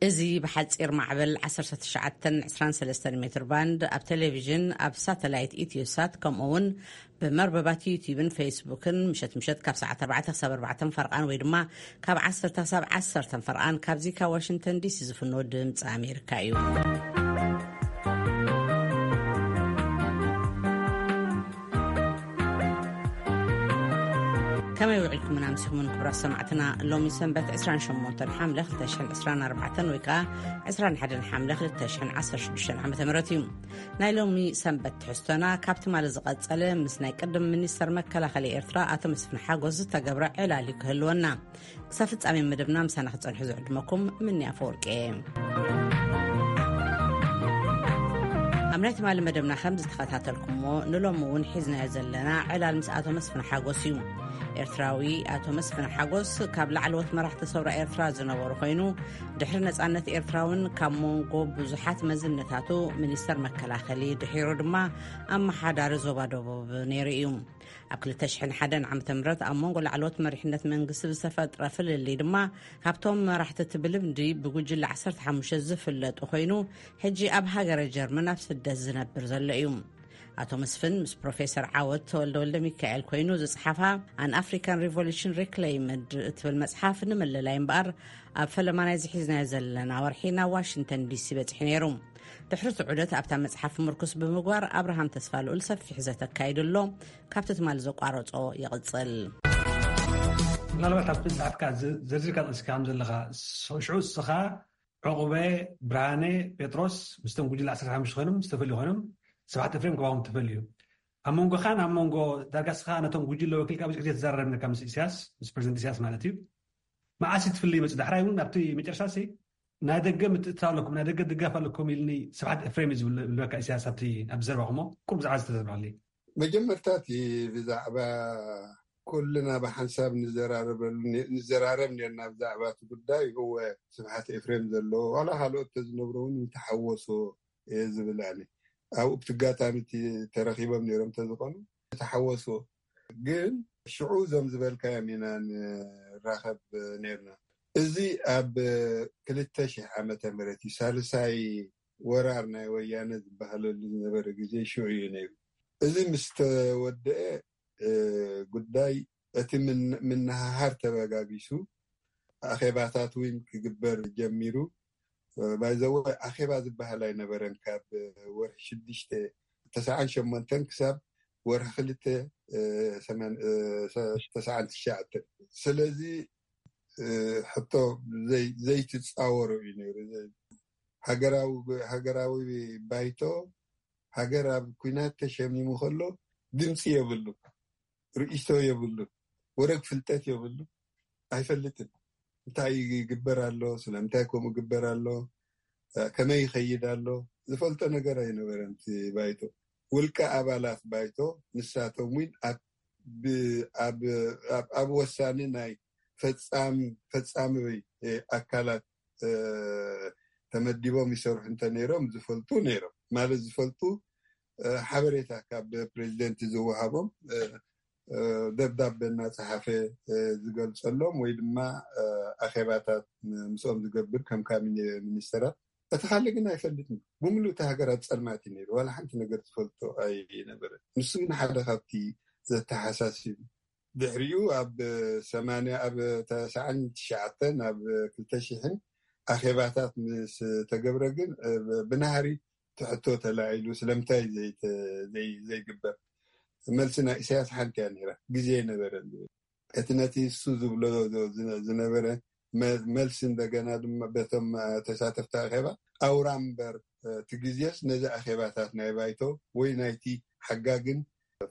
እዚ ብሓጺር ማዕበል ዓሰርተ ትሽዓተ ዕስራን ሰለስተን ሜትር ባንድ፣ ኣብ ቴሌቪዥን፣ ኣብ ሳተላይት ኢትዮሳት፣ ከምኡ እውን ብመርበባት ዩቲዩብን ፌስቡክን ምሸት ምሸት ካብ ሰዓት ኣርባዕተ ክሳብ ኣርባዕተ ፈርቓን ወይ ድማ ካብ ዓሰርተ ክሳብ ዓሰርተ ፈርቓን ካብዚ ካብ ዋሽንግተን ዲሲ ዝፍኖ ድምፂ ኣሜሪካ እዩ። ከመይ ውዒልኩምን ኣምሲኹምን ክቡራት ሰማዕትና? ሎሚ ሰንበት ዕስራን ሸሞንተን ሓምለ ክልተ ሽሕን ዕስራን ኣርባዕተን ወይ ከዓ ዕስራን ሓደን ሓምለ ክልተ ሽሕን ዓሰርተ ሽዱሽተን ዓመተ ምህረት እዩ። ናይ ሎሚ ሰንበት ትሕዝቶና ካብ ትማሊ ዝቐጸለ ምስ ናይ ቅድም ሚኒስተር መከላኸሊ ኤርትራ ኣቶ መስፍን ሓጎስ ዝተገብረ ዕላል እዩ ክህልወና። ክሳብ ፍጻሜ መደብና ምሳና ክጸንሑ ዝዕድመኩም ምኒ ኣፈወርቂ እየ። ኣብ ናይ ትማሊ መደብና ከም ዝተኸታተልኩሞ ንሎሚ እውን ሒዝናዮ ዘለና ዕላል ምስ ኣቶ መስፍን ሓጎስ እዩ። ኤርትራዊ ኣቶ መስፍን ሓጎስ ካብ ላዕለዎት መራሕቲ ሰውራ ኤርትራ ዝነበሩ ኮይኑ፣ ድሕሪ ነጻነት ኤርትራ እውን ካብ መንጎ ብዙሓት መዝነታቱ ሚኒስተር መከላኸሊ፣ ድሒሩ ድማ ኣመሓዳሪ ዞባ ደቡብ ነይሩ እዩ። ኣብ ክልተ ሽሕን ሓደን ዓመተ ምህረት ኣብ መንጎ ላዕለዎት መሪሕነት መንግስቲ ዝተፈጥረ ፍልልይ ድማ ካብቶም መራሕቲ እቲ ብልምዲ ብጉጅለ ዓሰርተ ሓሙሽተ ዝፍለጡ ኮይኑ፣ ሕጂ ኣብ ሃገረ ጀርመን ኣብ ስደት ዝነብር ዘሎ እዩ። ኣቶ መስፍን ምስ ፕሮፌሰር ዓወት ተወልደ ወልደ ሚካኤል ኮይኑ ዝጸሓፋ ኣን ኣፍሪካን ሪቮሉሽን ሪክሌይምድ እትብል መጽሓፍ ንምልላይ እምበኣር ኣብ ፈለማ ናይ ዝሒዝናዮ ዘለና ወርሒ ናብ ዋሽንግተን ዲሲ በጺሑ ነይሩ። ድሕሪ እቲ ዑደት ኣብታ መጽሓፍ ምርኩስ ብምግባር ኣብርሃም ተስፋ ልኡል ሰፊሕ ዘተ ኣካይዱ ኣሎ። ካብቲ ትማሊ ዘቋረጾ ይቕጽል። ምናልባት ኣብቲ መጽሓፍካ ዘ-፣ ዘርዚርካ ጠቅስካ ከም ዘለኻ፣ ስ-፣ ሽዑ እስኻ፣ ዕቑበ፣ ብርሃነ፣ ጴጥሮስ ምስቶም ጉጅለ ዓሰርተ ሓሙሽተ ኮይኖም ዝተፈልዩ ኮይኖም፣ ስብሓት ኤፍሬም ከባኹም ተፈልዩ። ኣብ መንጎኻን ኣብ መንጎ ዳርጋ እስኻ ነቶም ጉጅለ ወኪልካ ብዙሕ ግዜ ትዘራረብ ነርካ ምስ ኢሳያስ፣ ምስ ፕሬዚደንት ኢሳያስ ማለት እዩ። መዓስ እዩ ትፍልይ መጽእ? ዳሕራይ እውን ኣብቲ መጨረሻ ሲ ናይ ደገ ምትእትታው ኣለኩም፣ ናይ ደገ ድጋፍ ኣለኩም ኢልኒ ስብሓት ኤፍሬም እዩ ዝብል-፣ ዝብለካ ኢሳያስ ኣብቲ፣ ኣብ ዘረባኹሞ ቁሩብ ብዛዕባ ዝተዘርባለይ። መጀመርታ እቲ ብዛዕባ ኩልና ብሓንሳብ ንዘራረበሉ ነ-፣ ንዘራረብ ነርና ብዛዕባ እቲ ጉዳይ። እወ፣ ስብሓት ኤፍሬም ዘለዎ ዋላ ካልኦት ተዝነብሩ እውን ምተሓወሶ እየ ዝብል ኣነ። ኣብኡ ብቲ ኣጋጣሚ እቲ ተረኺቦም ነይሮም ተዝኾኑ ምተሓወሶ። ግን ሽዑ እዞም ዝበልካዮም ኢና ንራኸብ ነርና። እዚ ኣብ ክልተ ሽሕ ዓመተ ምህረት እዩ፣ ሳልሳይ ወራር ናይ ወያነ ዝበሃለሉ ዝነበረ ግዜ ሽዑ እዩ ነይሩ። እዚ ምስ ተወደአ፣ እ፣ ጉዳይ እቲ ምን-፣ ምንሃሃር ተበጋጊሱ፣ ኣኼባታት እውን ክግበር ጀሚሩ። ባይዘወ ኣኼባ ዝበሃል ኣይነበረን። ካብ ወርሒ ሽዱሽተ፣ ተስዓን ሸሞንተን ክሳብ ወርሒ ክልተ፣ እ፣ ሰማን-፣ እ፣ ሰ-፣ ተስዓን ትሽዓተን። ስለዚ፣ እ፣ ሕቶ ዘይ-፣ ዘይትጻወሮ እዩ ነይሩ። ዘይ-፣ ሃገራዊ፣ ሃገራዊ ባይቶ፣ ሃገር ኣብ ኲናት ተሸሚሙ ከሎ ድምፂ የብሉ፣ ርእይቶ የብሉ፣ ወረግ ፍልጠት የብሉ፣ ኣይፈልጥን። እንታይ ይግበር ኣሎ፣ ስለምንታይ ከምኡ ይግበር ኣሎ፣ ከመይ ይኸይድ ኣሎ፣ ዝፈልጦ ነገር ኣይነበረን። እቲ ባይቶ፣ ውልቀ ኣባላት ባይቶ ንሳቶም እውን ኣብ፣ ብ-፣ ኣብ፣ ኣብ፣ ኣብ ወሳኒ ናይ ፈጻም-፣ ፈጻሚ፣ እ፣ ኣካላት፣ እ፣ ተመዲቦም ይሰርሑ እንተ ነይሮም ዝፈልጡ ነይሮም። ማለት ዝፈልጡ፣ እ፣ ሓበሬታ ካብ ፕሬዚደንት ዝወሃቦም፣ እ፣ እ፣ ደብዳቤ እናጸሓፈ፣ እ፣ ዝገልጸሎም ወይ ድማ፣ እ፣ ኣኼባታት ም-፣ ምስኦም ዝገብር ከም ካቢኔ ሚኒስተራት። እቲ ካልእ ግን ኣይፈልጥን። ብምሉእ እቲ ሃገር ኣብ ጸልማት እዩ ነይሩ። ዋላ ሓንቲ ነገር ዝፈልጦ ኣይነበረን። ንሱ ግን ሓደ ካብቲ ዘተሓሳስብ። ድሕሪኡ ኣብ ሰማንያ፣ ኣብ ተስዓን ትሽዓተን፣ ኣብ ክልተ ሽሕን ኣኼባታት ምስ ተገብረ ግን፣ እ፣ ብናህሪ ትሕቶ ተላዒሉ፣ ስለምንታይ ዘይተ-፣ ዘይ-፣ ዘይግበር? መልሲ ናይ ኢሳያስ ሓንቲ እያ ነይራ፣ ግዜ ኣይነበረን ዝብል። እቲ ነቲ እሱ ዝብሎ ዝ-፣ ዝነ-፣ ዝነበረ መ-፣ መልሲ እንደገና ድማ በቶም፣ እ፣ ተሳተፍቲ ኣኼባ ኣውራ እምበር፣ እ፣ እቲ ግዜስ ነዚ ኣኼባታት ናይ ባይቶ ወይ ናይቲ ሓጋግን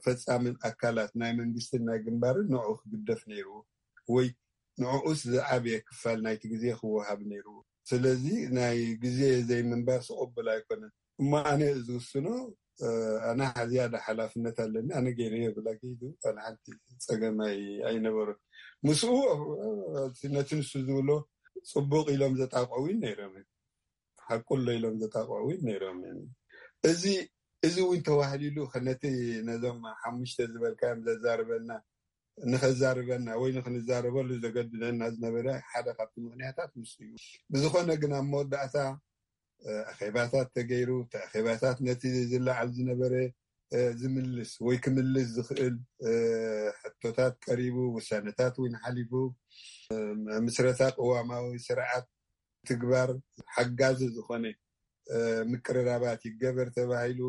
ፈጻምን ኣካላት ናይ መንግስትን ናይ ግንባርን ንዕኡ ክግደፍ ነይርዎ፣ ወይ ንዕኡስ ዝዓበየ ክፋል ናይቲ ግዜ ክወሃብ ነይርዎ። ስለዚ ናይ ግዜ ዘይምንባር ስቕብል ኣይኮነን። እሞ ኣነ ዝውስኖ፣ እ፣ ኣነ ዝያዳ ሓላፍነት ኣለኒ፣ ኣነ ገይረዮ ብላ ከይዱ፣ ኣነ ሓንቲ ጸገም ኣይ-፣ ኣይነበሮን። ምስኡ፣ እ፣ ነቲ ንሱ ዝብሎ ጽቡቕ ኢሎም ዘጣቕዑ እውን ነይሮም። ሓቁ ኣሎ ኢሎም ዘጣቕዑ እውን ነይሮም። እዚ፣ እዚ እውን ተዋህሊሉ ነቲ፣ ነዞም ሓሙሽተ ዝበልካዮም ዘዛርበና ንኸዛርበና ወይ ንኽንዛረበሉ ዘገድደና ዝነበረ ሓደ ካብቲ ምኽንያታት ምስ እዩ። ብዝኾነ ግን ኣብ መወዳእታ ኣኼባታት ተገይሩ። እቲ ኣኼባታት ነቲ ዝለዓል ዝነበረ ዝምልስ ወይ ክምልስ ዝኽእል ሕቶታት ቀሪቡ፣ ውሳነታት እውን ሓሊፉ፣ ምስረታ ቅዋማዊ ስርዓት ትግባር ሓጋዚ ዝኾነ ምቅርራባት ይገበር ተባሂሉ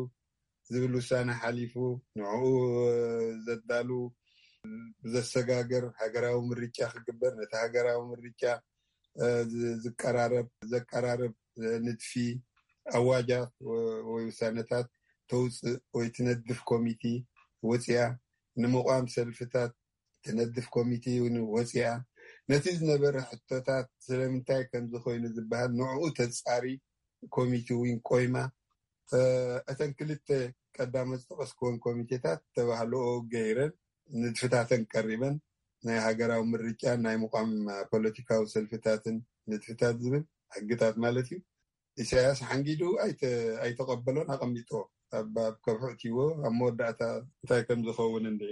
ዝብል ውሳነ ሓሊፉ፣ ንዕኡ ዘዳሉ ዘሰጋገር ሃገራዊ ምርጫ ክግበር፣ ነቲ ሃገራዊ ምርጫ ዝቀራረብ ዘቀራርብ ንድፊ ኣዋጃት ወይ ውሳነታት ተውፅእ ወይ ትነድፍ ኮሚቲ ወፅያ፣ ንምቋም ሰልፍታት ትነድፍ ኮሚቲ እውን ወፅያ፣ ነቲ ዝነበረ ሕቶታት ስለምንታይ ከምዚ ኮይኑ ዝበሃል ንዕኡ ተፃሪ ኮሚቲ እውን ቆይማ። እተን ክልተ ቀዳመ ዝጠቀስክወን ኮሚቴታት ተባህልኦ ገይረን ንድፍታተን ቀሪበን፣ ናይ ሃገራዊ ምርጫን ናይ ምቋም ፖለቲካዊ ሰልፍታትን ንድፍታት ዝብል ሕግታት ማለት እዩ። ኢሳያስ ሓንጊዱ ኣይተቀበሎን ኣቐሚጦ ኣብ ከብሑ እትዎ ኣብ መወዳእታ እንታይ ከም ዝኸውን እንድዒ።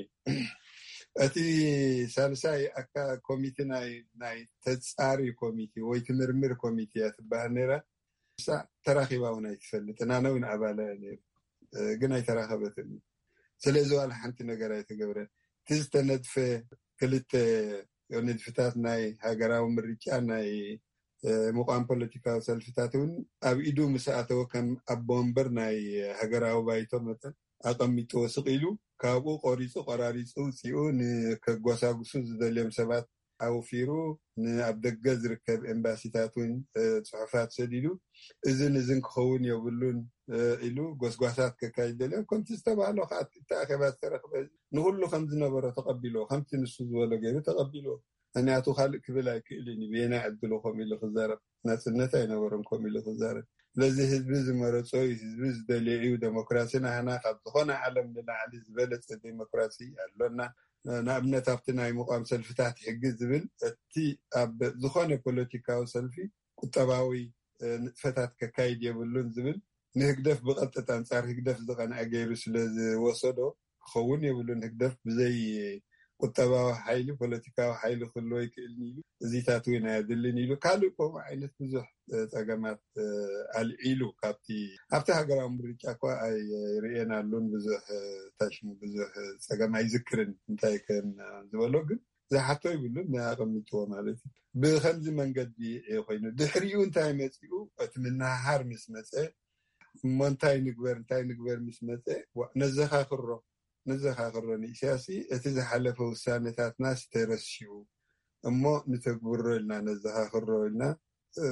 እቲ ሳልሳይ ኮሚቲ ናይ ተፃሪ ኮሚቲ ወይ ትምርምር ኮሚቲ እያ ትበሃል ነይራ። ንሳ ተራኺባ እውን ኣይትፈልጥን፣ ኣነ እውን ኣባላ እየ ነይሩ፣ ግን ኣይተራኸበትን። ስለዚ ዋላ ሓንቲ ነገር ኣይተገብረን። እቲ ዝተነድፈ ክልተ ንድፍታት ናይ ሃገራዊ ምርጫ ናይ ምቋም ፖለቲካዊ ሰልፍታት እውን ኣብ ኢዱ ምስ ኣተወ ከም ኣቦ ወንበር ናይ ሃገራዊ ባይቶ መጠን ኣቐሚጥዎ ስቕ ኢሉ ካብኡ ቆሪፁ ቆራሪፁ ውፅኡ ንከጓሳጉሱ ዝደልዮም ሰባት ኣውፊሩ ንኣብ ደገ ዝርከብ ኤምባሲታት እውን ፅሑፋት ሰዲዱ እዝን እዝን ክኸውን የብሉን ኢሉ ጎስጓሳት ከካይድ ደልዮም ከምቲ ዝተባህሎ ከዓ እቲ ኣኼባ ዝተረኽበ ንኩሉ ከም ዝነበሮ ተቐቢሎ ከምቲ ንሱ ዝበሎ ገይሩ ተቐቢሎ። ምክንያቱ ካልእ ክብል ኣይክእልን እዩ። ብየናይ ዕድሉ ከምኡ ኢሉ ክዛረብ ናፅነት ኣይነበሮም ከምኡ ኢሉ ክዛረብ። ስለዚ ህዝቢ ዝመረፆ እዩ፣ ህዝቢ ዝደልዮ እዩ። ዴሞክራሲ ናህና ካብ ዝኾነ ዓለም ንላዕሊ ዝበለፀ ዴሞክራሲ ኣሎና። ንኣብነት ኣብቲ ናይ ምቋም ሰልፍታት ሕጊ ዝብል እቲ ኣብ ዝኾነ ፖለቲካዊ ሰልፊ ቁጠባዊ ንጥፈታት ከካይድ የብሉን ዝብል ንህግደፍ ብቐጥታ ኣንጻር ህግደፍ ዝቐንዐ ገይሩ ስለ ዝወሰዶ ክኸውን የብሉን። ህግደፍ ብዘይ ቁጠባዊ ሓይሊ ፖለቲካዊ ሓይሊ ክህልዎ ይክእልን ኢሉ እዚታት እውን ኣየድልን ኢሉ ካልእ ከምኡ ዓይነት ብዙሕ ፀገማት ኣልዒሉ ካብቲ ኣብቲ ሃገራዊ ምርጫ እኳ ኣይርእየናሉን ብዙሕ ታሽሙ ብዙሕ ፀገም ኣይዝክርን እንታይ ከም ዝበሎ ግን ዝሓቶ ይብሉን ኣቐሚጥዎ ማለት እዩ። ብከምዚ መንገዲ ኮይኑ ድሕሪኡ እንታይ መፂኡ እቲ ምንሃር ምስ መፀ እሞ እንታይ ንግበር እንታይ ንግበር ምስ መፀ ነዘኻኽሮ ነዘኻኽሮ ንኢሳያስ እቲ ዝሓለፈ ውሳነታትና ስተረሲኡ እሞ ንተግብሮ ኢልና ነዘኻኽሮ ኢልና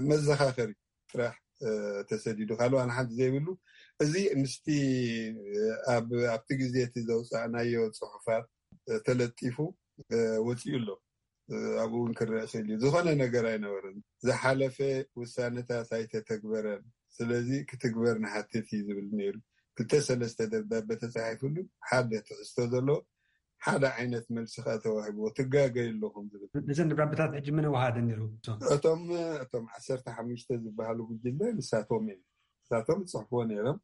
መዘኻኸሪ ጥራሕ ተሰዲዱ ካልእ ዋላ ሓንቲ ዘይብሉ እዚ ምስቲ ኣብቲ ግዜ እቲ ዘውፃእናዮ ፅሑፋት ተለጢፉ ወፂኡ ኣሎ። ኣብኡ እውን ክረአ ክእል እዩ። ዝኾነ ነገር ኣይነበረን። ዝሓለፈ ውሳነታት ኣይተተግበረን። ስለዚ ክትግበር ንሓትት እዩ ዝብል ነይሩ። ክልተ ሰለስተ ደብዳቤ ተፃሒፍሉ ሓደ ትሕዝቶ ዘለዎ ሓደ ዓይነት መልሲ ከዓ ተዋሂብዎ። ትጋገዩ ኣለኹም ዝብል። ነዘን ደብዳቤታት ሕጂ መን ወሃደን ነይሩ? እቶም እቶም ዓሰርተ ሓሙሽተ ዝበሃሉ ጉጅለ ንሳቶም እዮም። ንሳቶም ዝፅሕፍዎ ነይሮም።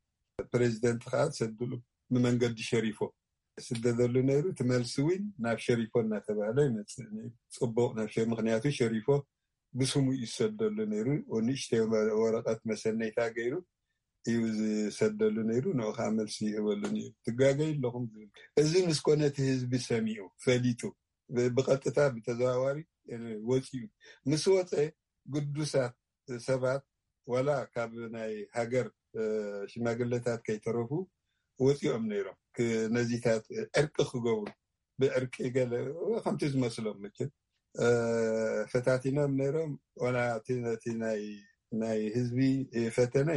ፕሬዚደንት ከዓ ዝሰድሉ ብመንገዲ ሸሪፎ ስደደሉ ነይሩ። እቲ መልሲ እውን ናብ ሸሪፎ እናተባህለ ይመፅእ ነይሩ። ፅቡቕ ናብ ሸ ምክንያቱ ሸሪፎ ብስሙ እዩ ዝሰደሉ ነይሩ። ንእሽተይ ወረቐት መሰነይታ ገይሩ እዩ ዝሰደሉ ነይሩ። ንኡ ከዓ መልሲ ይህበሉ ነይሩ። ትጋገዩ ኣለኹም ዝብል እዚ ምስ ኮነ እቲ ህዝቢ ሰሚዑ ፈሊጡ ብቐጥታ ብተዘዋዋሪ ወፂኡ ምስ ወፀ ግዱሳት ሰባት ዋላ ካብ ናይ ሃገር ሽማግለታት ከይተረፉ ወፂኦም ነይሮም ነዚታት ዕርቂ ክገብሩ ብዕርቂ ገለ ከምቲ ዝመስሎም መቸም ፈታቲኖም ነይሮም። ዋላ ነቲ ናይ ህዝቢ ፈተነ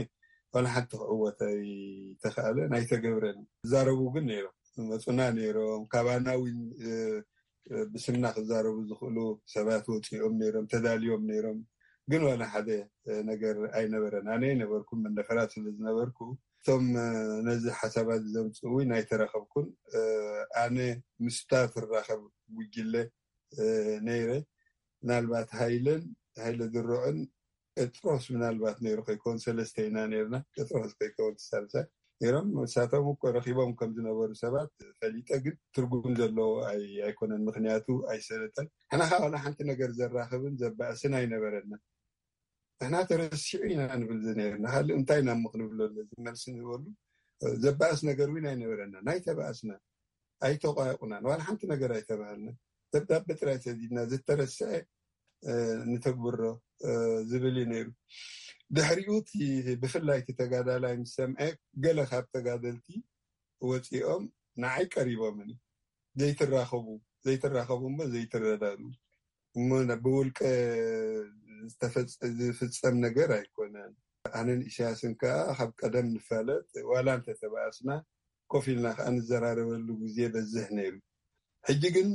ዋላ ሓንቲ ክዕወት ኣይተኽኣለን ኣይተገብረን። ዝዛረቡ ግን ነይሮም መፁና ነይሮም ካባና እውን ብስምና ክዛረቡ ዝኽእሉ ሰባት ወፂኦም ነይሮም ተዳልዮም ነይሮም። ግን ዋላ ሓደ ነገር ኣይነበረን። ኣነ ነበርኩ መንደፈራ ስለ ዝነበርኩ እቶም ነዚ ሓሳባት ዘምፅኡ እውን ኣይተረኸብኩን። ኣነ ምስታ ትራኸብ ጉጅለ ነይረ። ምናልባት ሃይለን ሃይለ ድሮዕን ጴጥሮስ ምናልባት ነይሩ ከይከውን ሰለስተ ኢና ነርና። ጴጥሮስ ከይከውን ሳልሳይ ነይሮም። ንሳቶም እኮ ረኺቦም ከም ዝነበሩ ሰባት ፈሊጠ፣ ግን ትርጉም ዘለዎ ኣይ- ኣይኮነን። ምክንያቱ ኣይሰለጠን። ንሕና ዋላ ሓንቲ ነገር ዘራኽብን ዘባእስን ኣይነበረና። ንሕና ተረሲዑ ኢና ንብል ዝነበርና። ካልእ እንታይ ኢና እሞ ክንብሎ ኣለና? እዚ መልሲ ንበሉ። ዘባእስ ነገር እውን ኣይነበረና። ናይ ተባእስና ኣይተቋየቑናን። ዋላ ሓንቲ ነገር ኣይተባሃልና። ደብዳቤ ጥራይ ሰዲድና፣ ዝተረስዐ ንተግብሮ ዝብል እዩ ነይሩ። ድሕሪኡ እቲ ብፍላይ እቲ ተጋዳላይ ምስ ሰምዐ፣ ገለ ካብ ተጋደልቲ ወፂኦም ንዓይ ቀሪቦምኒ። ዘይትራኸቡ ዘይትራኸቡ እሞ ዘይትረዳዱ እሞ ብውልቀ ዝፍፀም ነገር ኣይኮነን። ኣነን ኢሳያስን ከዓ ካብ ቀደም ንፋለጥ፣ ዋላ እንተተባእስና ኮፍ ኢልና ከዓ ንዘራረበሉ ግዜ በዝሕ ነይሩ። ሕጂ ግን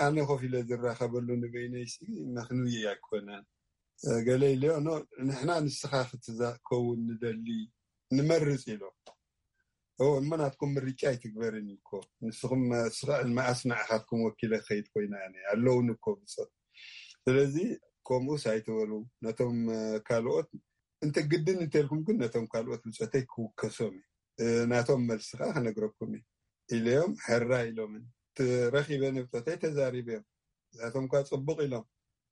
ኣነ ኮፍ ኢለ ዝራኸበሉ ንበይነይሲ መክንዊ ኣይኮነን። ገለ ኢለዮ፣ ኖ፣ ንሕና ንስኻ ክትከውን ንደሊ፣ ንመርፅ ኢሎ። እሞ ናትኩም ምርጫ ኣይትግበርን እዩ እኮ። ንስኹም ስኽዕን መኣስ ንዓኻትኩም ወኪለ ክኸይድ ኮይና እያ ኣለውን እኮ ብፆት። ስለዚ ከምኡስ ኣይትበሉ። ነቶም ካልኦት እንተ ግድን እንተልኩም ግን ነቶም ካልኦት ብፆተይ ክውከሶም እዩ። ናቶም መልሲ ከዓ ክነግረኩም እዩ ኢለዮም። ሕራ ኢሎምን ረኺበ ንብፆተይ ተዛሪበዮም። እሳቶም ኳ ፅቡቕ ኢሎም፣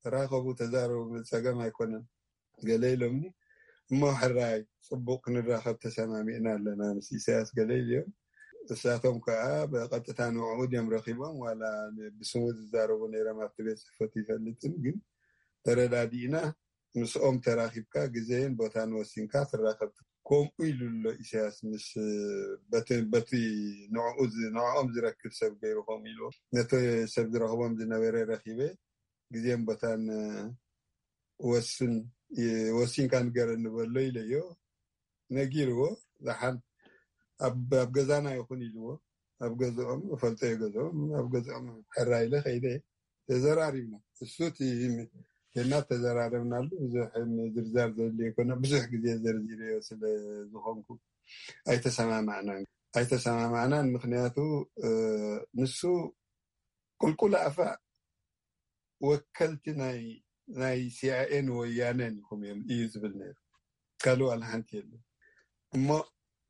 ተራኸቡ፣ ተዛረቡ፣ ጸገም ኣይኮነን ገለ ኢሎምኒ። እሞ ሕራይ፣ ጽቡቕ፣ ክንራኸብ ተሰማሚዕና ኣለና ምስ ኢሳያስ ገለ ኢሎም። እሳቶም ከዓ ብቐጥታ ንዕኡ ድዮም ረኺቦም፣ ዋላ ብስሙ ዝዛረቡ ነይሮም ኣብቲ ቤት ጽሕፈቱ ይፈልጥን፣ ግን ተረዳዲእና ምስኦም ተራኺብካ ግዜን ቦታን ወሲንካ ትራኸብ። ከምኡ ኢሉ ኣሎ ኢሳያስ ምስ በቲ ንዕኦም ዝረክብ ሰብ ገይሩ ከምኡ ኢሉ ነቲ ሰብ ዝረኽቦም ዝነበረ ረኺበ ግዜን ቦታን ወስን ወሲንካ ንገረኒ በሎ ኢለዮ። ነጊርዎ። ዝሓን ኣብ ገዛና ይኹን ኢልዎ። ኣብ ገዝኦም እፈልጦ እየ፣ ገዝኦም ኣብ ገዝኦም ሕራ ኢለ ከይደ። ተዘራሪብና። እሱ እቲ ና ተዘራረብናሉ። ብዙሕ ምዝርዛር ዘድልዮ ኣይኮነ፣ ብዙሕ ግዜ ዘርዚረዮ ስለ ዝኾንኩ ኣይተሰማማዕናን ኣይተሰማማዕናን። ምክንያቱ ንሱ ቁልቁል ኣፋ ወከልቲ ናይ ናይ ሲኣይኤን ወያነን ኢኹም እዮም እዩ ዝብል ነይሩ። ካልእ ዋላ ሓንቲ የለን። እሞ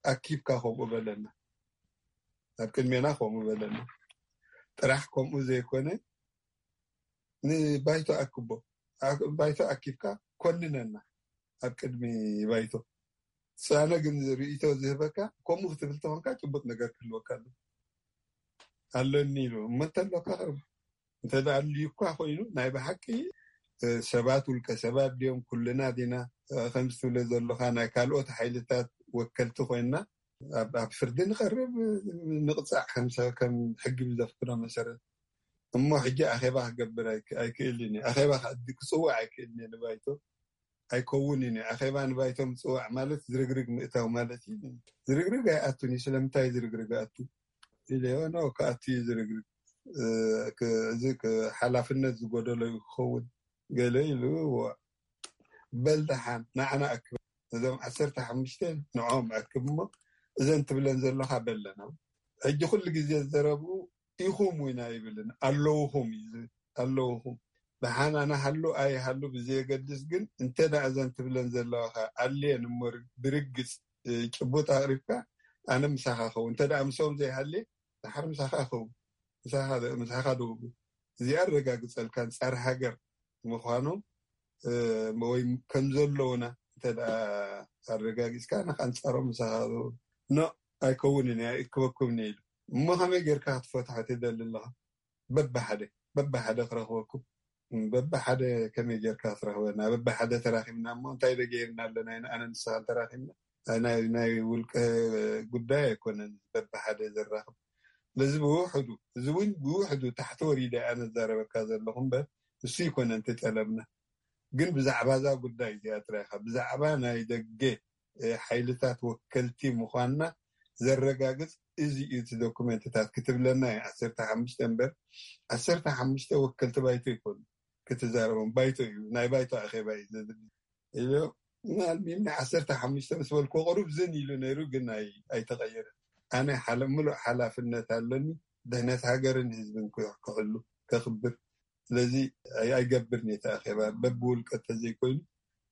ኣኪብካ ከምኡ በለና፣ ኣብ ቅድሜና ከምኡ በለና። ጥራሕ ከምኡ ዘይኮነ ንባይቶ ኣክቦ፣ ባይቶ ኣኪብካ ኮንነና ኣብ ቅድሚ ባይቶ። ጻነ ግን ርእይቶ ዝህበካ ከምኡ ክትብል ተኾንካ ጭቡጥ ነገር ክህልወካ ኣሎ። ኣለኒ ኢሉ እሞ እንተሎካ ቅርብ እንተ ኣድልዩ እኳ ኮይኑ ናይ ብሓቂ ሰባት ውልቀ ሰባት ድዮም? ኩልና ዲና ከምዚ ትብሎ ዘለኻ ናይ ካልኦት ሓይልታት ወከልቲ ኮይና ኣብ ፍርዲ ንቐርብ፣ ንቕፃዕ ከም ሕጊ ብዘፍቅዶ መሰረት። እሞ ሕጂ ኣኼባ ክገብር ኣይክእልን፣ ኣኼባ ክፅውዕ ኣይክእልን ንባይቶ ኣይከውንን እዩ። ኣኼባ ንባይቶ ምፅዋዕ ማለት ዝርግርግ ምእታው ማለት እዩ። ዝርግርግ ኣይኣቱን እዩ። ስለምንታይ ዝርግርግ ኣቱ ኢለዮ። ኖ፣ ክኣቱ እዩ ዝርግርግ። እዚ ሓላፍነት ዝጎደሎ እዩ ክኸውን ገለ ኢሉ። በል ደሓን ንዓና ኣክብ፣ ነዞም ዓሰርተ ሓሙሽተ ንዕኦም ኣክብ እሞ እዘን ትብለን ዘለኻ በለና። ሕጂ ኩሉ ግዜ ዝዘረብኡ ኢኹም እውን ኣይብልን፣ ኣለውኹም እዩ ዝብል። ኣለውኹም ብሓን ኣነ ሃሉ ኣይሃሉ ብዘየገድስ፣ ግን እንተ ደኣ እዘን ትብለን ዘለዋኻ ኣልየን እሞ ብርግጽ ጭቡጥ ኣቕሪብካ ኣነ ምሳኻ ኸውን። እንተ ደኣ ምስኦም ዘይሃልየ ድሓር ምሳኻ ኸውን። ምሳኻ ዶ እዚኣ ኣረጋግጸልካ፣ ኣንጻር ሃገር ምዃኖም ወይ ከም ዘለውና እንተ ደኣ ኣረጋጊጽካ፣ ንኻ ኣንጻሮም ምሳኻ ዶ ኖ ኣይከውንን እያ፣ ኣይእክበኩምን እየ ኢሉ። እሞ ከመይ ጌርካ ክትፈትሖ ትደሊ ኣለኻ? በብሓደ በብሓደ ክረኽበኩም። በብሓደ ከመይ ጌርካ ክትረኽበና? በብሓደ ተራኺብና እሞ እንታይ ዶ ገይርና ኣለና? ኣነ ንስኻን ተራኺብና ናይ ውልቀ ጉዳይ ኣይኮነን በብሓደ ዘራኽብ። ስለዚ ብውሕዱ፣ እዚ እውን ብውሕዱ ታሕቲ ወሪደ ኣነ ዝዛረበካ ዘለኹ እምበር እሱ ኣይኮነን እቲ ጠለብና። ግን ብዛዕባ እዛ ጉዳይ እዚኣ ጥራይ ኢኻ፣ ብዛዕባ ናይ ደገ ሓይልታት ወከልቲ ምዃንና ዘረጋግጽ እዚ እዩ እቲ ዶኩመንትታት ክትብለና እዩ። ዓሰርተ ሓሙሽተ እምበር ዓሰርተ ሓሙሽተ ወከልቲ ባይቶ ይኮኑ ክትዛረቦም፣ ባይቶ እዩ፣ ናይ ባይቶ ኣኼባ እዩ ዘድሊ ኢሉ። ኣልሚም ናይ ዓሰርተ ሓሙሽተ ምስ በልኩ ቁሩብ ዝን ኢሉ ነይሩ፣ ግን ኣይተቐየረን። ኣነ ምሉእ ሓላፍነት ኣለኒ፣ ድሕነት ሃገርን ህዝብን ክሕሉ ከኽብር። ስለዚ ኣይገብርን እየ እቲ ኣኼባ፣ በብውልቀ እንተዘይኮይኑ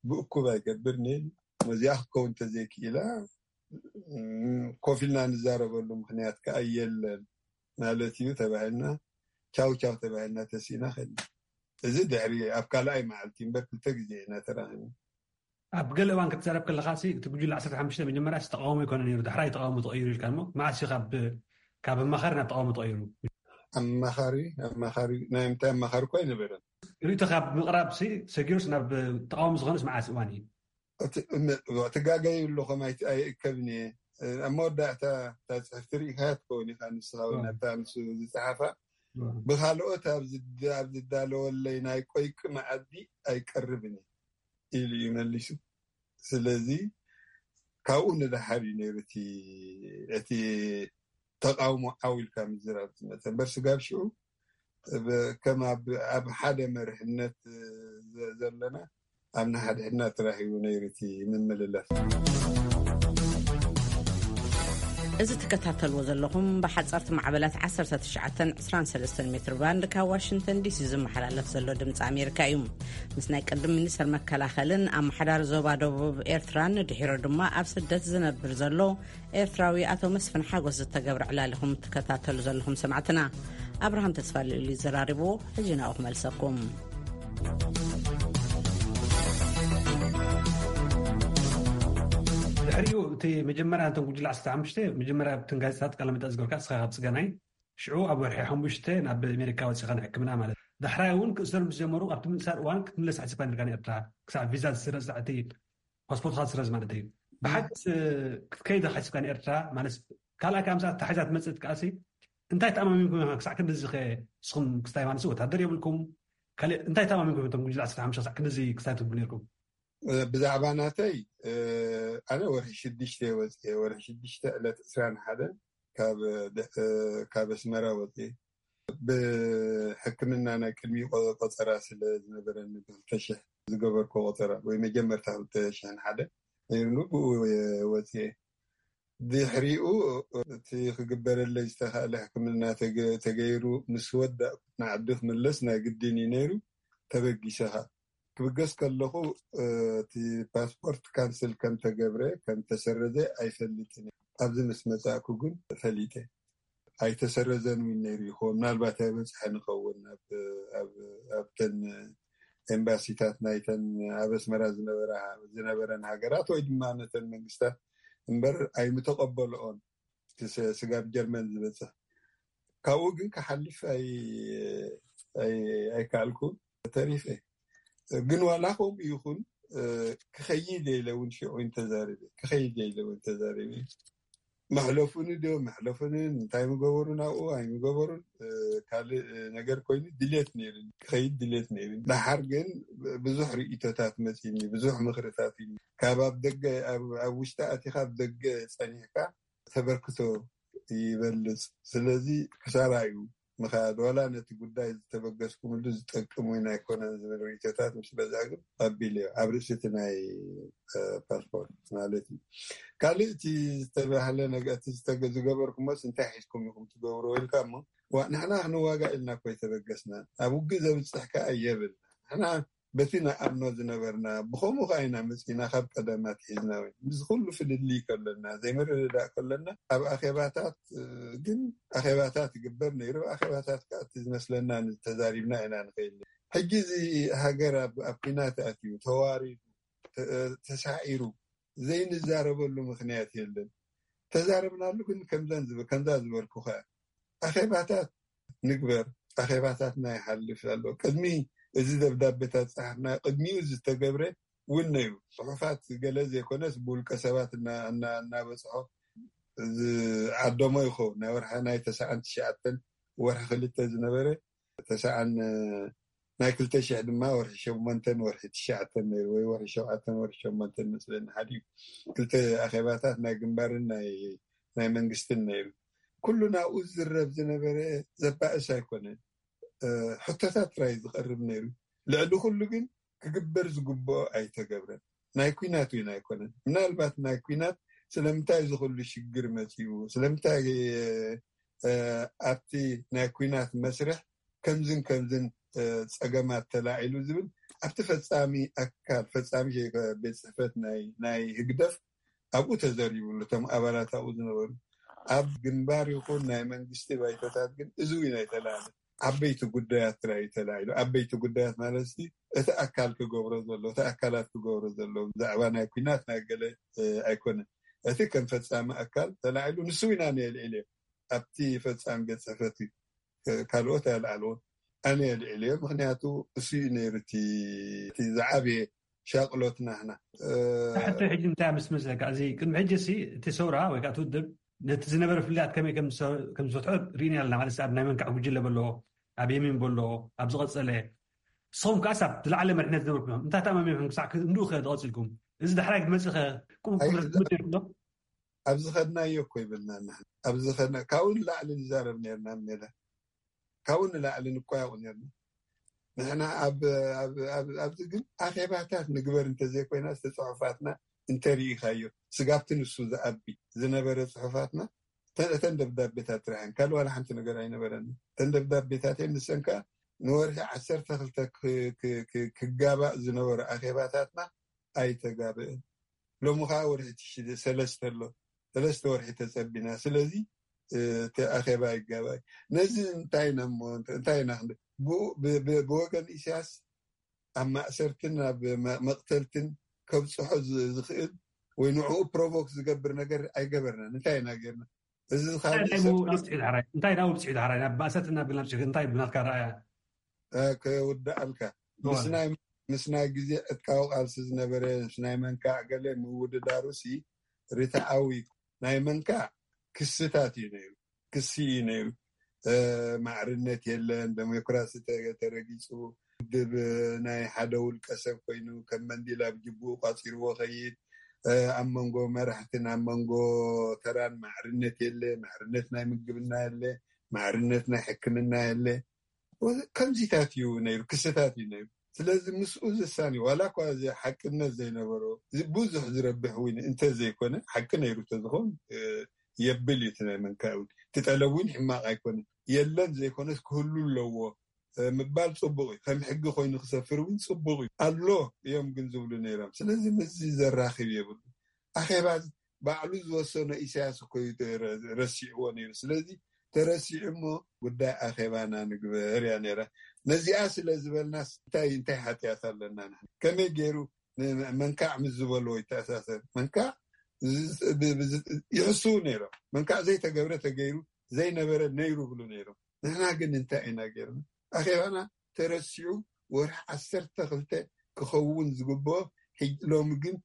ብእኩብ ኣይገብርን እየ። እዚኣ ክትከውን እንተዘይክኢላ ኮፍ ኢልና ንዛረበሉ ምክንያት ከዓ የለን ማለት እዩ ተባሂልና፣ ቻው ቻው ተባሂልና ተሲእና ከድና። እዚ ድሕሪ ኣብ ካልኣይ መዓልቲ እምበር ክልተ ግዜ ኢና ተራኺብና። ኣብ ገለ እዋን ክትዛረብ ከለካ እቲ ጉጅለ ዓሰርተ ሓሙሽተ መጀመርያ ተቃውሞ ይኮነ ነይሩ፣ ዳሕራይ ተቃውሞ ተቀይሩ ኢልካ፣ እሞ መዓስ እዩ ካብ ኣማኻሪ ናብ ተቃውሞ ተቀይሩ? ኣማኻሪ ኣማኻሪ ናይ ምንታይ ኣማኻሪ እኳ ኣይነበረን። ርእይቶ ካብ ምቕራብ ሰጊሩስ ናብ ተቃውሞ ዝኾነስ መዓስ እዋን እዩ? ትጋገዩ ኣለኹም፣ ኣይእከብን እየ። ኣብ መወዳእታ እታ ፅሕፍቲ ርኢካያ ትኸውን ኢካ፣ ንስኻ እውን ኣብታ ንሱ ዝፀሓፋ፣ ብካልኦት ኣብ ዝዳለወለይ ናይ ቆይቂ መኣዲ ኣይቀርብን እየ ኢሉ እዩ መሊሱ። ስለዚ ካብኡ ንደሓር እዩ ነይሩ እቲ ተቃውሞ ዓው ኢልካ ምዝራብ ዝመፀ እምበር፣ ስጋብ ሽዑ ከም ኣብ ሓደ መሪሕነት ዘለና ኣብ ንሓድሕድና ተራኺቡ ነይሩ እቲ ምምልላስ። እዚ ትከታተልዎ ዘለኹም ብሓፀርቲ ማዕበላት ዓሰርተ ትሽዓተን ዕስራን ሰለስተን ሜትር ባንድ ካብ ዋሽንግተን ዲሲ ዝመሓላለፍ ዘሎ ድምፂ ኣሜሪካ እዩ። ምስ ናይ ቅድም ሚኒስተር መከላኸልን ኣመሓዳሪ ዞባ ደቡብ ኤርትራን ድሒሩ ድማ ኣብ ስደት ዝነብር ዘሎ ኤርትራዊ ኣቶ መስፍን ሓጎስ ዝተገብረ ዕላል ኢኹም ትከታተሉ ዘለኹም ሰማዕትና። ኣብርሃም ተስፋ ልኡል እዩ ዘራሪብዎ። ሕጂ ናብኡ ክመልሰኩም። ድሕሪኡ እቲ መጀመርያ እንተን ጉጅለ ዓሰርተ ሓሙሽተ መጀመርያ ኣብተን ጋዜጣታት ቃለ መጠይቕ ዝገበርካ ንስኻ ካብ ጽገናይ፣ ሽዑ ኣብ ወርሒ ሓሙሽተ ናብ ኣሜሪካ ወጺኻ ንሕክምና ማለት እዩ። ዳሕራይ እውን ክእሰር ምስ ጀመሩ ኣብቲ ምእሳር እዋን ክትምለስ ሓሲብካ ነርካ ንኤርትራ፣ ክሳዕ ቪዛ ዝስረዝ፣ ክሳዕ እቲ ፓስፖርትካ ዝስረዝ ማለት እዩ። ብሓቂ ክትከይድ ሓሲብካ ንኤርትራ ማለት ካልኣይ ካብ ምሳት ተሓዛ ትመጽእ ትከኣሲ እንታይ ተኣማሚንኩም ኢኻ ክሳዕ ክንድዚ ከ ንስኹም ክስታይ ማለት ወታደር የብልኩም ካልእ እንታይ ተኣማሚንኩም እቶም ጉጅለ ዓሰርተ ሓሙሽተ ክሳዕ ክንድዚ ክስታይ ትብሉ ነርኩም? ብዛዕባ ናተይ ኣነ ወርሒ ሽዱሽተ ወፅየ፣ ወርሒ ሽዱሽተ ዕለት ዕስራን ሓደን ካብ ኣስመራ ወፅየ። ብሕክምና ናይ ቅድሚ ቆፀራ ስለ ዝነበረኒ ብክልተ ሽሕ ዝገበርኩ ቆፀራ ወይ መጀመርታ ክልተ ሽሕን ሓደ ነይሩኒ፣ ብኡ ወፅየ። ድሕሪኡ እቲ ክግበረለይ ዝተኻእለ ሕክምና ተገይሩ ምስ ወዳእ ንዓዲ ክምለስ ናይ ግድን እዩ ነይሩ። ተበጊሰኻ ክብገስ ከለኹ እቲ ፓስፖርት ካንስል ከም ተገብረ ከም ተሰረዘ ኣይፈልጥን። ኣብዚ ምስ መጻእኩ ግን ፈሊጠ። ኣይተሰረዘን እውን ነይሩ ይኸውን፣ ምናልባት ኣይበፅሐን ይኸውን። ኣብተን ኤምባሲታት ናይተን ኣብ ኣስመራ ዝነበረን ሃገራት ወይ ድማ ነተን መንግስታት እምበር ኣይምተቐበልኦን። ስጋብ ጀርመን ዝበፅሕ ካብኡ ግን ክሓልፍ ኣይከኣልኩን፣ ተሪፈ። ግን ዋላ ከምኡ ይኹን ክኸይድ ኢለ እውን ሽዑ ተዛሪበ፣ ክኸይድ ኢለ እውን ተዛሪበ። መሕለፉኒ ዶ መሕለፉኒ እንታይ ምገበሩ ናብኡ ኣይምገበሩን ካልእ ነገር ኮይኑ ድሌት ነይሩ፣ ክኸይድ ድሌት ነይሩ። ደሓር ግን ብዙሕ ርእይቶታት መፂኒ፣ ብዙሕ ምኽርታት እዩ። ካብ ኣብ ደገ ኣብ ውሽጢ ኣቲኻ ኣብ ደገ ፀኒሕካ ተበርክቶ ይበልፅ። ስለዚ ክሳራ እዩ። ምኻድ ዋላ ነቲ ጉዳይ ዝተበገስኩምሉ ዝጠቅም ወይ ኣይኮነን ዝብል ርእይቶታት ምስ በዝሐ ግን ቀቢለዮ ኣብ ርእሲ እቲ ናይ ፓስፖርት ማለት እዩ። ካልእ እቲ ዝተባህለ ነገር እቲ ዝገበርኩሞስ እንታይ ሒዝኩም ኢኹም ትገብርዎ ኢልካ እሞ ንሕና ክንዋጋእ ኢልና እኮ ኣይተበገስናን። ኣብ ውግእ ዘብፅሕ ከዓ የብልና። ንሕና በቲ ንኣምኖ ዝነበርና ብኸምኡ ከዓ ኢና መፂና ካብ ቀደም ኣትሒዝና እውን ምስ ኩሉ ፍልልይ ከለና ዘይምርድዳእ ከለና ኣብ ኣኼባታት ግን ኣኼባታት ይግበር ነይሩ። ኣኼባታት ከዓ እቲ ዝመስለና ተዛሪብና ኢና ንኸይድ። ሕጂ እዚ ሃገር ኣብ ኩናት ኣትዩ ተዋሪዱ ተሳዒሩ ዘይንዛረበሉ ምክንያት የለን። ተዛረብናሉ ግን ከምዛ ዝበልኩኻ ኣኼባታት ንግበር። ኣኼባታትና ይሓልፍ ኣሎ። ቅድሚ እዚ ደብዳቤታት ፀሓፍና ቅድሚኡ ዝተገብረ እውን ነይሩ። ፅሑፋት ገለ ዘይኮነስ ብውልቀ ሰባት እናበፅሖ ዝዓደሞ ይኸውን። ናይ ወርሒ ናይ ተስዓን ትሽዓተን ወርሒ ክልተ ዝነበረ ተስዓን ናይ ክልተ ሽሕ ድማ ወርሒ ሸሞንተን ወርሒ ትሽዓተን ነይሩ ወይ ወርሒ ሸውዓተን ወርሒ ሸሞንተን መስለኒ ሓዲኡ ክልተ ኣኼባታት ናይ ግንባርን ናይ መንግስትን ነይሩ። ኩሉ ናብኡ ዝዝረብ ዝነበረ ዘባእስ ኣይኮነን። ሕቶታት ጥራይ ዝቐርብ ነይሩ። ልዕሊ ኩሉ ግን ክግበር ዝግብኦ ኣይተገብረን። ናይ ኩናት እውን ኣይኮነን። ምናልባት ናይ ኩናት ስለምንታይ እዚ ኩሉ ሽግር መፂኡ፣ ስለምንታይ ኣብቲ ናይ ኩናት መስርሕ ከምዝን ከምዝን ፀገማት ተላዒሉ ዝብል ኣብቲ ፈፃሚ ኣካል ፈፃሚ ቤት ፅሕፈት ናይ ህግደፍ ኣብኡ ተዘሪብሉ፣ እቶም ኣባላት ኣብኡ ዝነበሩ። ኣብ ግንባር ይኹን ናይ መንግስቲ ባይቶታት ግን እዚ እውን ኣይተላዕለ። ዓበይቲ ጉዳያት ጥራይ እዩ ተላዒሉ። ዓበይቲ ጉዳያት ማለት እቲ ኣካል ክገብሮ ዘሎ፣ እቲ ኣካላት ክገብሮ ዘሎ፣ ብዛዕባ ናይ ኲናት ናይ ገለ ኣይኮነን። እቲ ከም ፈጻሚ ኣካል ተላዒሉ፣ ንሱ ኢና ነየልዕልዮ ኣብቲ ፈጻሚ ቤት ጽሕፈት እዩ። ካልኦት ኣየልዓልዎን፣ ኣነ የልዕልዮ። ምክንያቱ እሱ እዩ ነይሩ እቲ ዝዓበየ ሻቅሎት ናህና። ሕቶ ሕጂ እንታይ ምስ መስለካ፣ እዚ ቅድሚ ሕጂ ሲ እቲ ሰውራ ወይ ከዓ እቲ ውድብ ነቲ ዝነበረ ፍልልያት ከመይ ከም ዝፈትሖ ርኢና ኣለና። ማለት ኣብ ናይ መንካዕ ጉጅለ በሎ፣ ኣብ የሚን በሎ፣ ኣብ ዝቐጸለ ንስኹም ከዓስ ኣብ ዝለዓለ መሪሕነት ዝነበርኩም ኢኹም። እንታይ ተኣማሚንኩም ክሳዕ ክንድኡ ከ ዝቐጽልኩም? እዚ ዳሕራይ ክትመጽእ ከ ቁም ቁም ትምድር ዶ? ኣብ ዝኸድናዮ እኮ ይብልና። ንሕና ኣብ ዝኸድና ካብኡ ንላዕሊ ንዛረብ ነርና ሜዳ፣ ካብኡ ንላዕሊ ንቆያቑ ነርና። ንሕና ኣብዚ ግን ኣኼባታት ንግበር እንተዘይኮይና ዝተፅሑፋትና እንተርኢኻዮ፣ ስጋብቲ ንሱ ዝኣቢ ዝነበረ ፅሑፋትና እተን ደብዳቤታት ጥራሕን ካልእ ዋላ ሓንቲ ነገር ኣይነበረን። እተን ደብዳቤታት ንሰን ከዓ ንወርሒ ዓሰርተ ክልተ ክጋባእ ዝነበረ ኣኼባታትና ኣይተጋበእን። ሎሚ ከዓ ወርሒ ትሽደ ሰለስተ ኣሎ። ሰለስተ ወርሒ ተፀቢና። ስለዚ እቲ ኣኼባ ይጋባእ። ነዚ እንታይ ኢና እሞ እንታይ ኢና ብወገን ኢሳያስ ኣብ ማእሰርትን ኣብ መቕተልትን ከብፅሖ ዝኽእል ወይ ንዕኡ ፕሮቮክ ዝገብር ነገር ኣይገበርናን። እንታይ ኢና ጌርና? እዚ እንታይ ናብኡ ብፅሑ ዳሕራይ ናብ ማእሰርትን ናብ ግልናብ እንታይ ብናትካ ረኣያ? ክውዳኣልካ ምስ ናይ ግዜ ዕጥቃዊ ቃልሲ ዝነበረ ምስ ናይ መንካዕ ገለ ምውድዳሩ ሲ ርትዓዊ ናይ መንካዕ ክስታት እዩ ነይሩ። ክሲ እዩ ነይሩ። ማዕርነት የለን፣ ዴሞክራሲ ተረጊፁ፣ ውድብ ናይ ሓደ ውልቀ ሰብ ኮይኑ ከም መንዲል ኣብ ጅቡኡ ቋፂርዎ ከይድ፣ ኣብ መንጎ መራሕትን ኣብ መንጎ ተራን ማዕርነት የለ፣ ማዕርነት ናይ ምግብና የለ፣ ማዕርነት ናይ ሕክምና የለ። ከምዚታት እዩ ነይሩ፣ ክስታት እዩ ነይሩ። ስለዚ ምስኡ ዝሳኒ ዋላ እኳ እዚ ሓቅነት ዘይነበሮ ብዙሕ ዝረብሕ እውን እንተዘይኮነ ሓቂ ነይሩ ተዝኸውን የብል እዩ። እቲ ናይ መንካእ እውን እቲ ጠለብ እውን ሕማቕ ኣይኮነን። የለን ዘይኮነስ ክህሉ ኣለዎ ምባል ፅቡቅ እዩ። ከም ሕጊ ኮይኑ ክሰፍር እውን ፅቡቅ እዩ። ኣሎ እዮም ግን ዝብሉ ነይሮም። ስለዚ ምስዚ ዘራኽብ የብሉ። ኣኼባ ባዕሉ ዝወሰኖ ኢሳያስ እኮ እዩ ረሲዕዎ ነይሩ። ስለዚ ተረሲዑ እሞ ጉዳይ ኣኼባና ንግበር እያ ነይራ። ነዚኣ ስለ ዝበልናስ እንታይ እንታይ ሓጢኣት ኣለና? ከመይ ገይሩ መንካዕ ምስ ዝበልዎ ይተኣሳሰር? መንካዕ ይሕስው ነይሮም። መንካዕ ዘይተገብረ ተገይሩ ዘይነበረ ነይሩ ብሉ ነይሮም። ንሕና ግን እንታይ ኢና ገይርና? ኣኼባና ተረሲዑ ወርሒ ዓሰርተ ክልተ ክኸውን ዝግብኦ ሎሚ ግን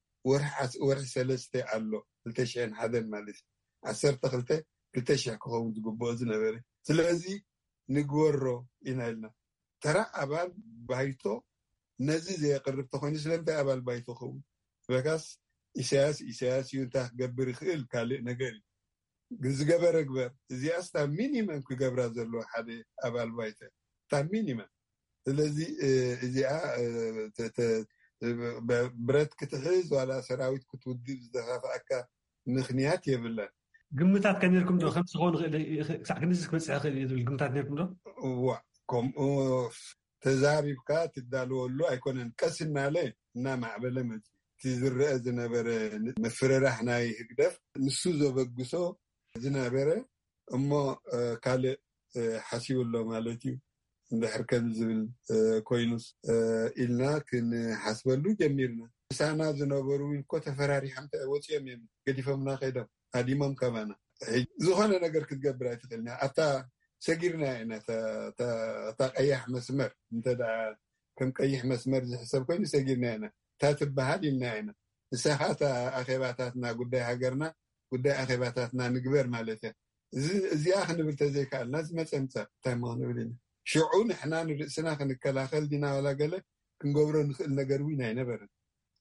ወርሒ ሰለስተ ኣሎ። ክልተ ሽሕን ሓደን ማለት እዩ። ዓሰርተ ክልተ ክልተ ሽሕ ክኸውን ዝግብኦ ዝነበረ። ስለዚ ንግበሮ ኢና ኢልና። ተራ ኣባል ባይቶ ነዚ ዘየቅርብ ተኮይኑ ስለምንታይ ኣባል ባይቶ ኸውን? በካስ ኢሳያስ ኢሳያስ እዩ። እንታይ ክገብር ይኽእል ካልእ ነገር እዩ። ግን ዝገበረ ግበር። እዚኣስ እታ ሚኒመም ክገብራ ዘለዎ ሓደ ኣባል ባይቶ እታ ሚኒመም። ስለዚ እዚኣ ብረት ክትሕዝ ዋላ ሰራዊት ክትውድብ ዝደፋፍኣካ ምኽንያት የብላን። ግምታት ከ ነርኩም ዶ ከምዚ ክኸውን ይኽእል ክሳዕ ክንዚ ክበፅሕ ይኽእል እዩ ዝብል ግምታት ነርኩም ዶ? እዋ ከምኡ ተዛሪብካ ትዳለወሉ ኣይኮነን። ቀስ እናለ እናማዕበለ መፅኡ። እቲ ዝረአ ዝነበረ ምፍርራሕ ናይ ህግደፍ ንሱ ዘበግሶ ዝነበረ እሞ ካልእ ሓሲቡ ኣሎ ማለት እዩ። እንድሕር ከም ዝብል ኮይኑስ ኢልና ክንሓስበሉ ጀሚርና። ምሳና ዝነበሩ እውን እኮ ተፈራሪሖም ወፂኦም እዮም፣ ገዲፎምና ከይዶም፣ ሃዲሞም ካባና። ዝኾነ ነገር ክትገብር ኣይትኽእልና። ኣብታ ሰጊርና ኢና እታ ቀያሕ መስመር እንተ ከም ቀይሕ መስመር ዝሕሰብ ኮይኑ ሰጊርና ኢና። እታ ትበሃል ኢልና ኢና። ንሳኻ እታ ኣኼባታትና ጉዳይ ሃገርና ጉዳይ ኣኼባታትና ንግበር ማለት እያ። እዚኣ ክንብል ተዘይከኣልና ዝመፀ ምፃእ እንታይ ሞ ክንብል ኢና? ሽዑ ንሕና ንርእስና ክንከላኸል ዲና ዋላ ገለ ክንገብሮ ንኽእል ነገር እውን ኣይነበረን።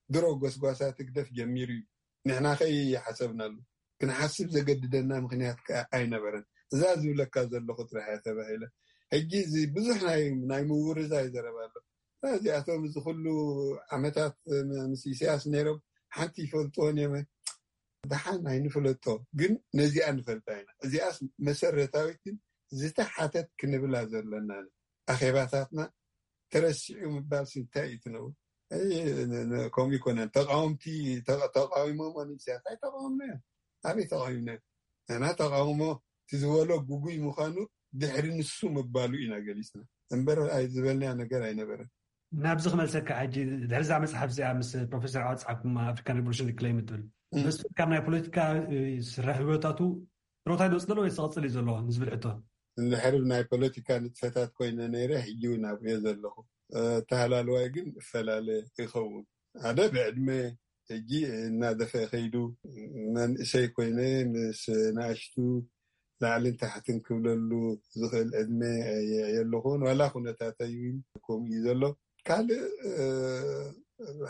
ድሮ ጎስጓሳት ህግደፍ ጀሚሩ እዩ። ንሕና ከ ይሓሰብናሉ ክንሓስብ ዘገድደና ምኽንያት ከዓ ኣይነበረን። እዛ ዝብለካ ዘለኹ ጥራሕ እያ ተባሂለ። ሕጂ እዚ ብዙሕ ናይ ናይ ምውርዛይ ዘረባ ኣሎ። እዚኣቶም እዚ ኩሉ ዓመታት ምስ ኢሳያስ ነይሮም ሓንቲ ይፈልጥዎን እዮም። ደሓን ኣይንፍለጦ ግን ነዚኣ ንፈልጣ ኢና። እዚኣስ መሰረታዊትን ዝተሓተት ክንብላ ዘለና። ኣኼባታትና ተረሲዑ ምባል እንታይ እዩ ትነብር? ከምኡ ይኮነን። ተቃወምቲ ተቃዊሞም ን ኢሳያስ ኣይተቃወምናዮ። ኣበይ ተቃዊምናዮ? ንሕና ተቃውሞ እቲ ዝበሎ ግጉይ ምዃኑ ድሕሪ ንሱ ምባሉ ኢና ገሊፅና እምበር ዝበልናዮ ነገር ኣይነበረን። ናብዚ ክመልሰካ ሕጂ፣ ድሕሪ እዛ መፅሓፍ እዚኣ ምስ ፕሮፌሰር ዓወት ፃሓፍኩም ኣፍሪካን ሪቮሉሽን ክሌም ትብል፣ ምስ ካብ ናይ ፖለቲካ ስራሕ ህይወታቱ ጥሮታ ይወፅእ ዘሎ ወይ ዝቕፅል እዩ ዘሎ ንዝብል ሕቶ? እንድሕር ናይ ፖለቲካ ንጥፈታት ኮይነ ነይረ፣ ሕጂ እውን ኣብሪኦ ዘለኹ። ተሃላልዋይ ግን እፈላለ ይኸውን። ሓደ ብዕድመ ሕጂ እናደፈ ከይዱ፣ መንእሰይ ኮይነ ምስ ንኣሽቱ ላዕልን ታሕትን ክብለሉ ዝኽእል ዕድመ የለኹን። ዋላ ኩነታተይ እውን ከምኡ እዩ ዘሎ። ካልእ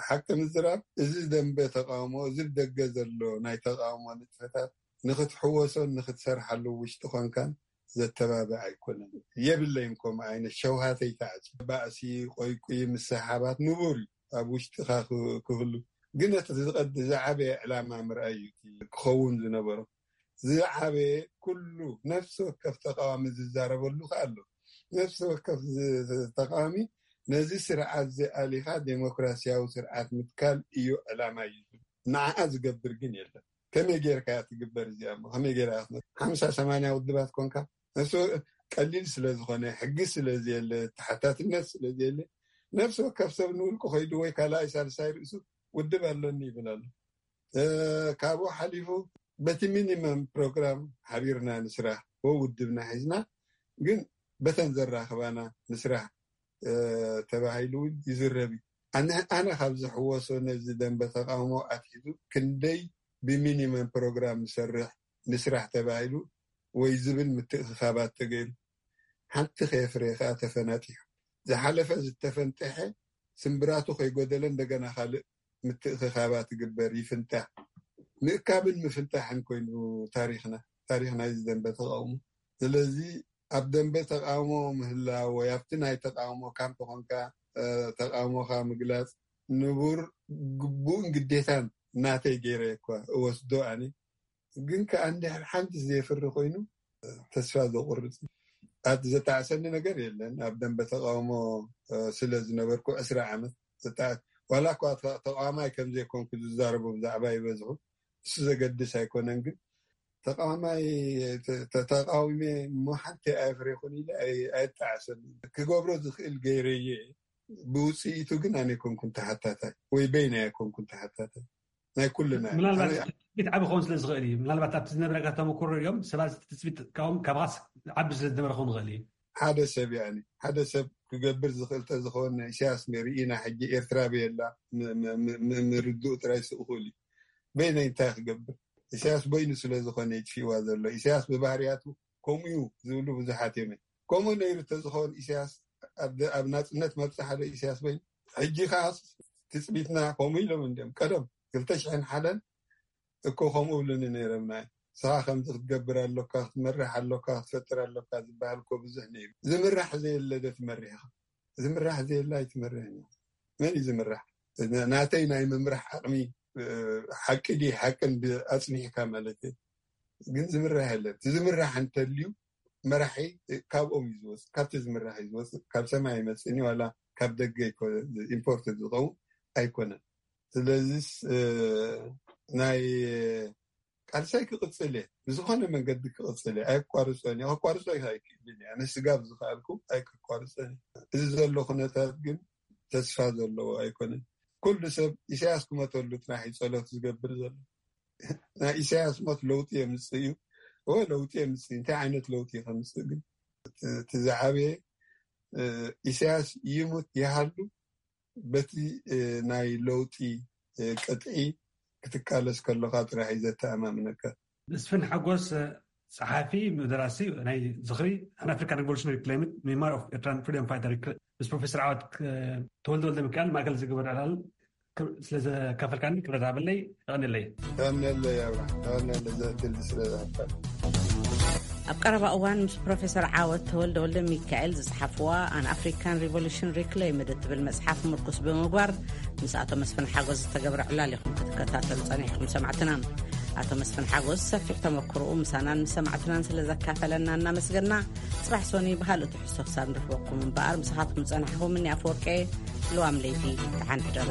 ሓቂ ምዝራብ፣ እዚ ደንበ ተቃውሞ፣ እዚ ብደገ ዘሎ ናይ ተቃውሞ ንጥፈታት ንክትሕወሶን ንክትሰርሓሉ ውሽጢ ኮንካን ዘተባብዕ ኣይኮነን። የብለይን ከምኡ ዓይነት ሸውሃተይ ተዓፂ ባእሲ ቆይቁይ ምሰሓባት ንቡር እዩ ኣብ ውሽጥኻ ክህሉ። ግን እቲ ዝቐድ ዝዓበየ ዕላማ ምርኣይ እዩ ክኸውን ዝነበሮ። ዝዓበየ ኩሉ ነፍሲ ወከፍ ተቃዋሚ ዝዛረበሉ ከ ኣሎ። ነፍሲ ወከፍ ተቃዋሚ ነዚ ስርዓት ዝኣሊኻ ዴሞክራሲያዊ ስርዓት ምትካል እዩ ዕላማ እዩ። ንዓኣ ዝገብር ግን የለን። ከመይ ጌርካ እያ ትግበር እዚኣ? ከመይ ጌር ሓምሳ ሰማንያ ውድባት ኮንካ ነፍሲ ቀሊል ስለ ዝኾነ፣ ሕጊ ስለ ዘየለ፣ ተሓታትነት ስለ ዘየለ፣ ነፍሲ ወከፍ ሰብ ንውልቁ ከይዱ ወይ ካልኣይ ሳልሳይ ርእሱ ውድብ ኣለኒ ይብል ኣሎ። ካብኡ ሓሊፉ በቲ ሚኒመም ፕሮግራም ሓቢርና ንስራሕ ወ ውድብና ሒዝና፣ ግን በተን ዘራኽባና ንስራሕ ተባሂሉ እውን ይዝረብ እዩ። ኣነ ካብ ዝሕወሶ ነዚ ደንበ ተቃውሞ ኣትሒዙ ክንደይ ብሚኒመም ፕሮግራም ንሰርሕ ንስራሕ ተባሂሉ ወይ ዝብል ምትእኽኻባት ተገይሩ፣ ሓንቲ ከየፍረየ ከዓ ተፈናጢሑ። ዝሓለፈ ዝተፈንጠሐ ስምብራቱ ከይጎደለ እንደገና ካልእ ምትእኽኻባት ይግበር፣ ይፍንጣሕ። ምእካብን ምፍንጣሕን ኮይኑ ታሪኽና፣ ታሪኽ ናይዚ ደንበ ተቃውሞ። ስለዚ ኣብ ደንበ ተቃውሞ ምህላው ወይ ኣብቲ ናይ ተቃውሞ ካምፕ ኮንካ ተቃውሞካ ምግላፅ ንቡር ግቡእን ግዴታን ናተይ ገይረ እኳ እወስዶ ኣነ። ግን ከኣ እንድሕር ሓንቲ ዘየፍሪ ኮይኑ ተስፋ ዘቁርፅ። ኣቲ ዘጣዕሰኒ ነገር የለን። ኣብ ደንበ ተቃውሞ ስለ ዝነበርኩ ዕስራ ዓመት ዋላ እኳ ተቃዋማይ ከም ዘይኮንኩ ዝዛረቡ ብዛዕባ ይበዝሑ፣ እሱ ዘገድስ ኣይኮነን። ግን ተቃዋማይ ተቃዊመ እሞ ሓንቲ ኣይፍሬኹን ኢለ ኣይጣዕሰሉ። ክገብሮ ዝኽእል ገይረየ፣ ብውፅኢቱ ግን ኣነ ኣይኮንኩን ተሓታታይ ወይ በይና ኣይኮንኩን ተሓታታይ። ናይ ኩልና ምናልባት ዓቢ ክኸውን ስለ ዝኽእል እዩ። ምናልባት ኣብቲ ዝነበረካ ተመክሮ እዮም ሰባት ትፅቢት ካብኦም ካባኻስ ዓቢ ስለ ዝነበረ ክኸውን ይኽእል እዩ። ሓደ ሰብ ያ ሓደ ሰብ ክገብር ዝኽእል ተዝኸውን ኢሳያስ ርኢና ሕጂ ኤርትራ ብየላ ምርድኡ ጥራይ ስእኹል እዩ። በይነይ እንታይ ክገብር? ኢሳያስ በይኑ ስለ ዝኾነ ይጥፊእዋ ዘሎ። ኢሳያስ ብባህርያቱ ከምኡ እዩ ዝብሉ ብዙሓት እዮም። ከምኡ ነይሩ ተዝኸውን ኢሳያስ ኣብ ናፅነት መብፅሓ ዶ ኢሳያስ በይኑ? ሕጂ ከዓ ትፅቢትና ከምኡ ኢሎም እንዲም ቀደም ክልተ ሽሕን ሓደን እኮ ከምኡ ብሉኒ ነይረምና። ስኻ ከምዚ ክትገብር ኣሎካ፣ ክትመርሕ ኣሎካ፣ ክትፈጥር ኣሎካ ዝበሃል እኮ ብዙሕ ነይሩ። ዝምራሕ ዘየለ ዶ ትመርሕ ኢኻ? ዝምራሕ ዘየለ ኣይትመርሕን ኢኻ። መን እዩ ዝምራሕ? ናተይ ናይ ምምራሕ ዓቕሚ ሓቂ ድዩ ሓቅን ኣፅኒሕካ ማለት እዩ። ግን ዝምራሕ የለን። ዝምራሕ እንተልዩ መራሒ ካብኦም እዩ ዝወፅእ፣ ካብቲ ዝምራሕ እዩ ዝወፅእ። ካብ ሰማይ ይመፅእኒ ዋላ ካብ ደገ ኢምፖርት ዝኸውን ኣይኮነን። ስለዚስ ናይ ቃልሳይ ክቕፅል እየ፣ ብዝኾነ መንገዲ ክቕፅል እየ፣ ኣይቋርፆን እየ። ከቋርፆ ኣይክእልን እየ። ኣነ ስጋብ ዝኽኣልኩ ኣይክቋርፆን እየ። እዚ ዘሎ ኩነታት ግን ተስፋ ዘለዎ ኣይኮነን። ኩሉ ሰብ ኢሳያስ ክመተሉ ጥራሕ እዩ ፀሎት ዝገብር ዘሎ። ናይ ኢሳያስ ሞት ለውጢ የምፅእ እዩ። እወ ለውጢ የምፅእ። እንታይ ዓይነት ለውጢ ከምፅእ ግን እቲ ዝዓበየ ኢሳያስ ይሙት ይሃሉ በቲ ናይ ለውጢ ቅጥዒ ክትቃለስ ከለኻ ጥራሕ እዩ ዘተኣማምነካ። መስፍን ሓጎስ ጸሓፊ፣ ደራሲ ናይ ዝኽሪ An African Revolutionary Claimant Memoir of Eritrean Freedom Fighter ምስ ፕሮፌሰር ዓወት ተወልደ ወልደ ሚካኤል ማእከል ዝገበረ ዕላል ስለ ዘካፈልካኒ ክብረት ሃበለይ። የቐንየለይ። የቐንየለይ ኣብርሃም፣ የቐንየለይ ዘእድል ስለ ዝሃብካኒ። ኣብ ቀረባ እዋን ምስ ፕሮፌሰር ዓወት ተወልደ ወልደ ሚካኤል ዝጸሓፍዋ An African Revolution Reclaimed እትብል መጽሓፍ ምርኩስ ብምግባር ምስ ኣቶ መስፍን ሓጎስ ዝተገብረ ዕላል ኢኹም ክትከታተሉ ጸኒሕኩም ሰማዕትና። ኣቶ መስፍን ሓጎስ ሰፊሕ ተመክሮኡ ምሳናን ምስ ሰማዕትናን ስለ ዘካፈለና እናመስገና፣ ጽባሕ ሶኒ ብኻልእ ትሕዝቶ ክሳብ ንረኽበኩም እምበኣር ምሳኻትኩም ዝጸናሕኹም እኒ ኣፈወርቂ ልዋም ለይቲ ተሓንሕደሩ።